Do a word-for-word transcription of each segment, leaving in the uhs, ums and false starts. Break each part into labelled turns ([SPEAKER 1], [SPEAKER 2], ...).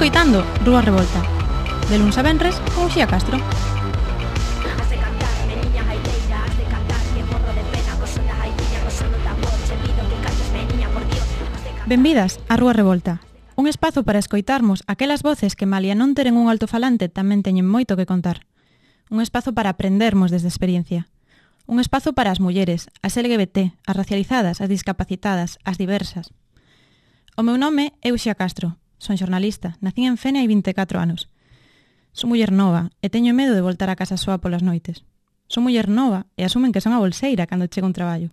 [SPEAKER 1] escoitando Rúa Revolta, de luns a venres con Uxía Castro. Benvidas a Rúa Revolta, un espazo para escoitarmos aquelas voces que malia non teren un altofalante tamén teñen moito que contar. Un espazo para aprendermos desde experiencia. Un espazo para as mulleres, as L G B T, as racializadas, as discapacitadas, as diversas. O meu nome é Uxía Castro, son xornalista, nacín en Fene hai vinte e catro anos. Son muller nova e teño medo de voltar a casa soa polas noites. Son muller nova e asumen que son a bolseira cando chego un traballo.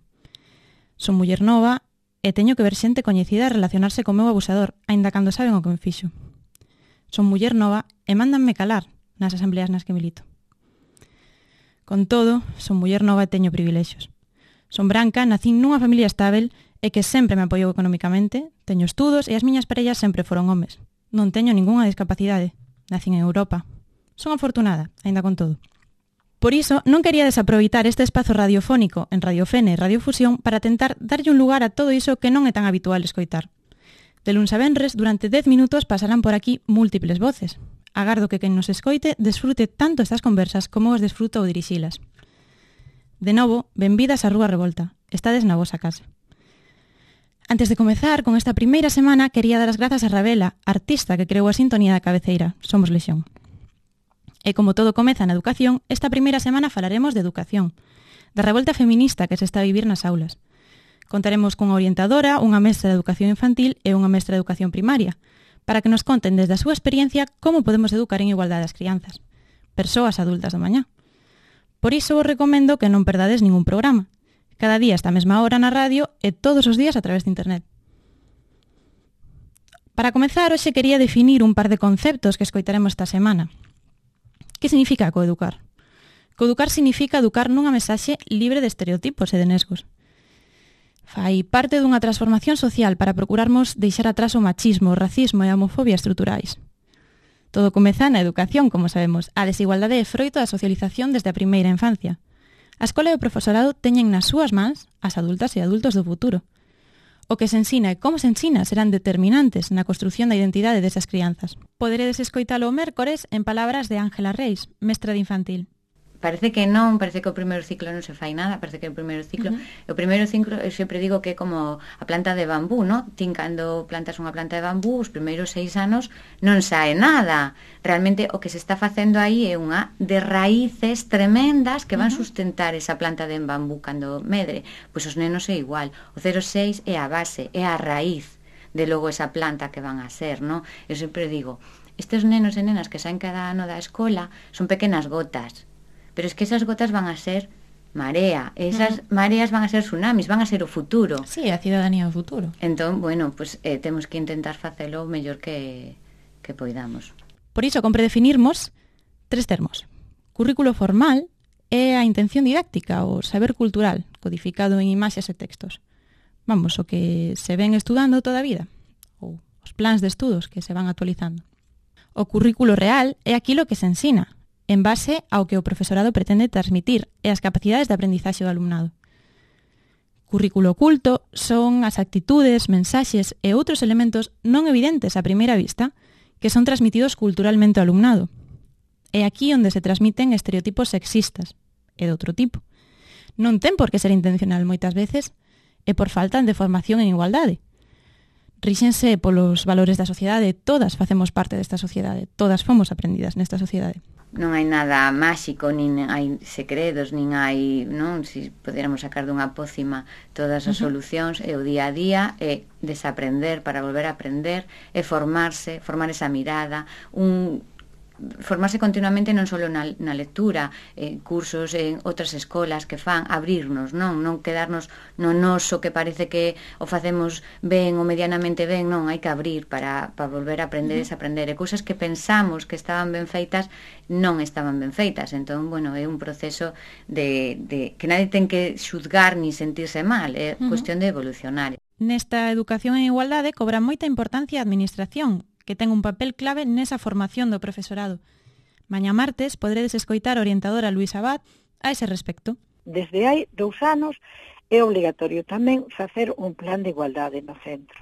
[SPEAKER 1] Son muller nova e teño que ver xente coñecida e relacionarse co meu abusador, aínda cando saben o que me fixo. Son muller nova e mándanme calar nas asambleas nas que milito. Con todo, son muller nova e teño privilexios. Son branca, nacín nunha familia estável e que sempre me apoiou económicamente, teño estudos e as miñas parellas sempre foron homes. Non teño ningunha discapacidade. Nacín en Europa. Son afortunada, aínda con todo. Por iso, non quería desaproveitar este espazo radiofónico en Radio Fene e Radio Fusión para tentar darlle un lugar a todo iso que non é tan habitual escoitar. De luns a venres, durante dez minutos pasarán por aquí múltiples voces. Agardo que quen nos escoite desfrute tanto estas conversas como os desfruto ao dirixilas. De novo, benvidas a Rúa Revolta. Estades na vosa casa. Antes de comezar con esta primeira semana, quería dar as grazas a Ravela, artista que creou a sintonía da cabeceira Somos Lexión. E como todo comeza na educación, esta primeira semana falaremos de educación, da revolta feminista que se está a vivir nas aulas. Contaremos cunha orientadora, unha mestra de educación infantil e unha mestra de educación primaria, para que nos conten desde a súa experiencia como podemos educar en igualdade as crianzas, persoas adultas do mañá. Por iso vos recomendo que non perdades ningún programa, cada día esta mesma hora na radio e todos os días a través de internet. Para comezar, hoxe quería definir un par de conceptos que escoitaremos esta semana. Que significa coeducar? Coeducar significa educar nunha mensaxe libre de estereotipos e de nesgos. Fai parte dunha transformación social para procurarmos deixar atrás o machismo, o racismo e a homofobia estruturais. Todo comeza na educación, como sabemos. A desigualdade é froito da socialización desde a primeira infancia. A escola e o profesorado teñen nas súas mans as adultas e adultos do futuro. O que se ensina e como se ensina serán determinantes na construción da identidade desas crianzas. Poderedes escoitalo o mércores en palabras de Ángela Reis, mestra de infantil.
[SPEAKER 2] Parece que non, parece que o primeiro ciclo non se fai nada, parece que o primeiro ciclo, uh-huh. o primeiro ciclo, eu sempre digo que é como a planta de bambú, ¿no? Tin cando plantas unha planta de bambú, os primeiros seis anos non sae nada. Realmente o que se está facendo aí é unha de raíces tremendas que van uh-huh. sustentar esa planta de bambú cando medre. Pois os nenos é igual, o cero seis é a base, é a raíz de logo esa planta que van a ser, ¿no? Eu sempre digo, estes nenos e nenas que saen cada ano da escola son pequenas gotas, pero es que esas gotas van a ser marea, esas mm. mareas van a ser tsunamis, van a ser o futuro.
[SPEAKER 1] Sí, a cidadanía do futuro.
[SPEAKER 2] Entón, bueno, pues eh, temos que intentar facelo o mellor que, que poidamos.
[SPEAKER 1] Por iso, compre definirmos tres termos. Currículo formal é a intención didáctica, o saber cultural, codificado en imaxes e textos. Vamos, o que se ven estudando toda a vida, ou os plans de estudos que se van actualizando. O currículo real é aquilo que se ensina, en base ao que o profesorado pretende transmitir e as capacidades de aprendizaxe do alumnado. Currículo oculto son as actitudes, mensaxes e outros elementos non evidentes a primeira vista que son transmitidos culturalmente ao alumnado. É aquí onde se transmiten estereotipos sexistas e de outro tipo. Non ten por que ser intencional moitas veces e por falta de formación en igualdade. Ríxense polos valores da sociedade, todas facemos parte desta sociedade, todas fomos aprendidas nesta sociedade.
[SPEAKER 2] Non hai nada máxico, nin hai secretos, nin hai, non, se si podéramos sacar dunha pócima todas as uh-huh. solucións, e o día a día é desaprender para volver a aprender, é formarse, formar esa mirada, un formarse continuamente non só na, na lectura, eh, cursos en outras escolas que fan, abrirnos, non non quedarnos no noso que parece que o facemos ben ou medianamente ben, non, hai que abrir para, para volver a aprender e desaprender, e cousas que pensamos que estaban ben feitas non estaban ben feitas. Entón, bueno, é un proceso de, de que nadie ten que xuzgar ni sentirse mal, é uh-huh. cuestión de evolucionar.
[SPEAKER 1] Nesta educación en igualdade cobra moita importancia a administración, que ten un papel clave nesa formación do profesorado. Mañá martes poderedes escoitar a orientadora Luisa Abad a ese respecto.
[SPEAKER 3] Desde hai dous anos é obligatorio tamén facer un plan de igualdade no centro,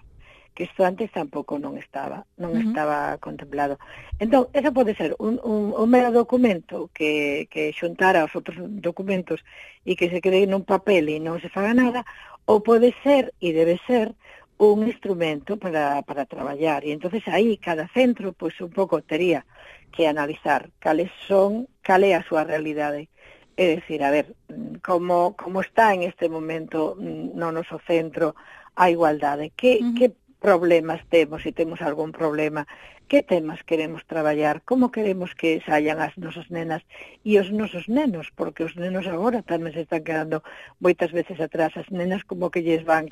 [SPEAKER 3] que isto antes tampouco non estaba, non uh -huh. estaba contemplado. Entón, eso pode ser un, un, un mero documento que, que xuntara os outros documentos e que se quede nun papel e non se faga nada, ou pode ser, e debe ser, un instrumento para, para traballar. E entonces aí cada centro, pois un pouco tería que analizar cales son, cal é a súa realidade. É dicir, a ver, como, como está en este momento no noso centro a igualdade, que, uh -huh. que problemas temos, se temos algún problema, que temas queremos traballar, como queremos que saian as nosas nenas e os nosos nenos, porque os nenos agora tamén se están quedando moitas veces atrás, as nenas como que lles van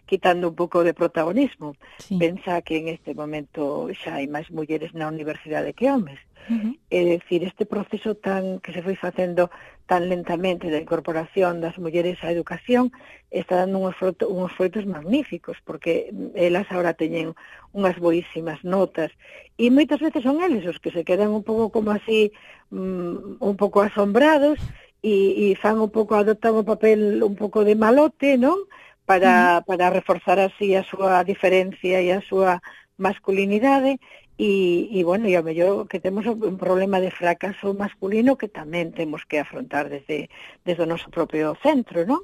[SPEAKER 3] quitando un pouco de protagonismo. Sí. Pensa que en este momento xa hai máis mulleres na universidade que homes. Uh -huh. É dicir, este proceso tan que se foi facendo tan lentamente da incorporación das mulleres á educación está dando uns froitos, uns froitos magníficos, porque elas agora teñen unhas boísimas notas e moitas veces son eles os que se quedan un pouco como así um, un pouco asombrados e, e fan un pouco, adoptan o papel un pouco de malote, non? Para, uh -huh. para reforzar así a súa diferencia e a súa masculinidade. E, e, bueno, e ao mellor que temos un problema de fracaso masculino que tamén temos que afrontar desde, desde o noso propio centro, non?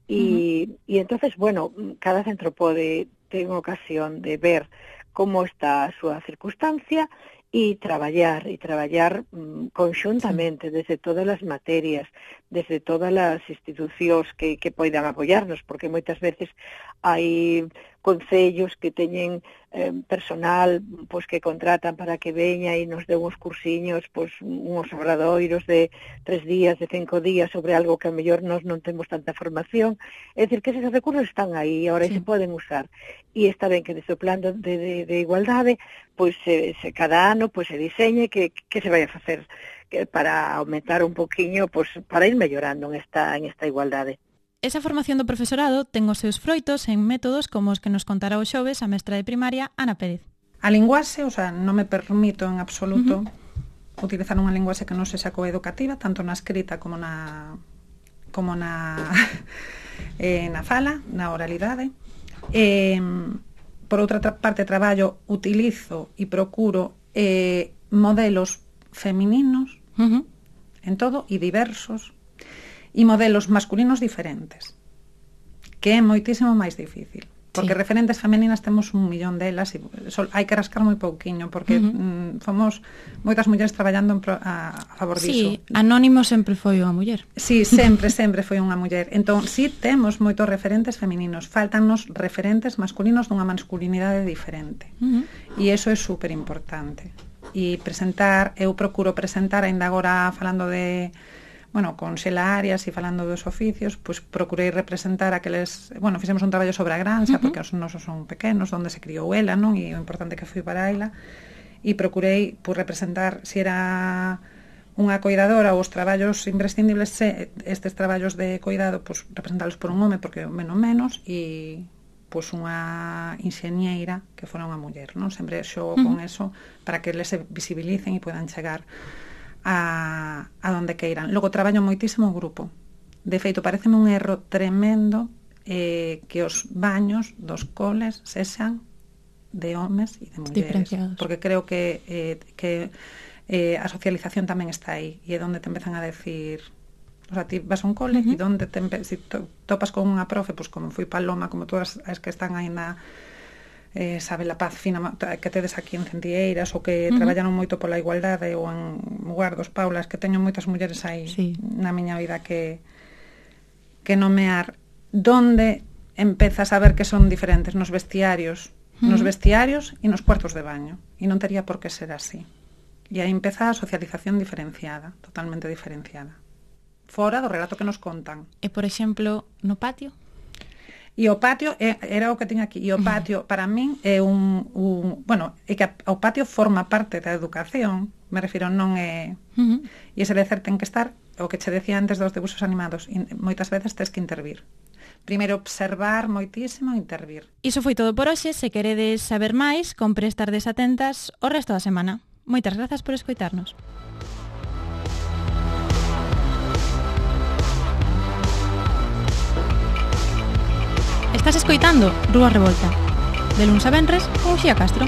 [SPEAKER 3] E, uh -huh. e entonces, bueno, cada centro pode ter ocasión de ver como está a súa circunstancia e traballar, e traballar mm, conxuntamente sí. desde todas as materias, desde todas as institucións que, que poidan apoiarnos, porque moitas veces hai concellos que teñen eh, personal pois que contratan para que veña e nos dé uns cursiños, pois uns obradoiros de tres días, de cinco días sobre algo que a mellor nós non temos tanta formación. É dicir, que esos recursos están aí, agora sí. se poden usar. E está ben que desde o plan de, de, de igualdade, pois se, se cada ano pois se diseñe que, que se vai a facer que para aumentar un poquinho, pois para ir mellorando en esta, en esta igualdade.
[SPEAKER 1] Esa formación do profesorado ten os seus froitos en métodos como os que nos contará o xoves a mestra de primaria Ana Pérez.
[SPEAKER 4] A linguaxe, o sea, non me permito en absoluto uh -huh. utilizar unha linguaxe que non sexa coeducativa, tanto na escrita como na como na eh, na fala, na oralidade. Eh, por outra parte, traballo, utilizo e procuro eh, modelos femininos uh -huh. en todo e diversos, e modelos masculinos diferentes, que é moitísimo máis difícil, porque sí. referentes femeninas temos un millón delas e sol, hai que rascar moi pouquiño, porque uh -huh. mm, fomos moitas mulleres traballando en pro, a, a favor diso.
[SPEAKER 1] Sí, Anónimo sempre foi unha muller.
[SPEAKER 4] Sí, sempre, sempre foi unha muller. Entón, sí, temos moitos referentes femininos, faltannos referentes masculinos dunha masculinidade diferente. Uh -huh. E iso é super importante. E presentar, eu procuro presentar, aínda agora falando de bueno, con Xela Arias e falando dos oficios, pois pues, procurei representar aqueles, bueno, fixemos un traballo sobre a granxa, uh -huh. porque os nosos son pequenos, onde se criou ela, non? E o importante que foi para ela, e procurei pues, representar se era unha coidadora ou os traballos imprescindibles, se, estes traballos de coidado, pues, representalos por un home, porque o menos menos, e pois unha inxeñeira que fora unha muller, non? Sempre xogo uh -huh. con eso para que les se visibilicen e podan chegar a, a donde queiran. Logo traballo moitísimo o grupo. De feito, pareceme un erro tremendo eh, que os baños dos coles sexan de homes e de mulleres, porque creo que, eh, que eh, a socialización tamén está aí, e é onde te empezan a decir, o sea, ti vas a un cole, uh -huh. e donde te si to, topas con unha profe, pois pues, como foi Paloma, como todas as que están aí na eh, sabe la paz fina que tedes aquí en Centieiras, ou que uh -huh. traballaron moito pola igualdade, ou en Guardos, Paulas, que teño moitas mulleres aí sí. na miña vida que que nomear, donde empezas a ver que son diferentes nos vestiarios, uh -huh. nos vestiarios e nos cuartos de baño, e non tería por que ser así. E aí empeza a socialización diferenciada, totalmente diferenciada, fora do relato que nos contan.
[SPEAKER 1] E, por exemplo, no patio?
[SPEAKER 4] E o patio é, era o que tiña aquí. E o patio, para min, é un, un... Bueno, é que o patio forma parte da educación, me refiro, non é... Uh -huh. E ese lecer ten que estar, o que che decía antes dos debuxos animados, e moitas veces tes que intervir. Primeiro observar moitísimo e intervir.
[SPEAKER 1] Iso foi todo por hoxe. Se queredes saber máis, compre estar desatentas o resto da semana. Moitas grazas por escoitarnos. Estás escoitando Rúa Revolta. De luns a venres con Uxía Castro.